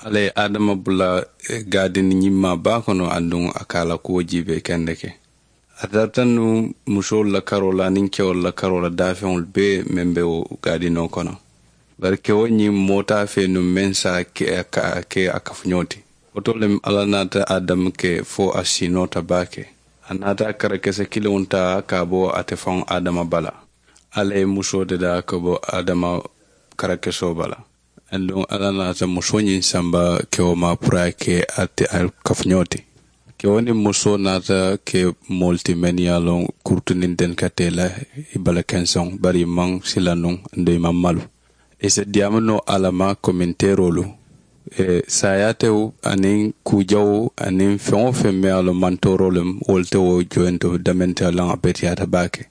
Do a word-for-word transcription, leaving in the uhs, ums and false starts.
Alla ye adama bula gaadini ñimmaa baa kono aduŋ a ka a la kuwo jiibee kendeke. A tarata nuŋ musoolu la karoo la aniŋ kewolu la karoo la daafeŋolu bee meŋ be wo gaadinoo kono. Bari kewo ñiŋ moo te a fee nuŋ meŋ se a ke a kafuñoo ti. Wo to le alla naata adamu ke fo a siinoota baake. A naata karakese kiliŋo taa ka a bo ate faŋo adama bala. Alla ye musoo dadaa ka bo adama karakesoo bala. Aduŋ alla naata musoo ñiŋ samba kewo ma puru a ye ke a kafuñoo ti. Kewo niŋ musoo naata ke moolu ti mennu ye a loŋ kurutu niŋ denkatee la i bala kenseŋo bari i maŋ sila nuŋ. Aduŋ i maŋ malu. I si diyaamu noo alla ma kominteeroolu saayaatewo aniŋ kuujawo aniŋ feŋ-wo-feŋ meŋ ye a loŋ mantooroo le mu wolu te wo joyinto damente a loŋ a beteyaata baake.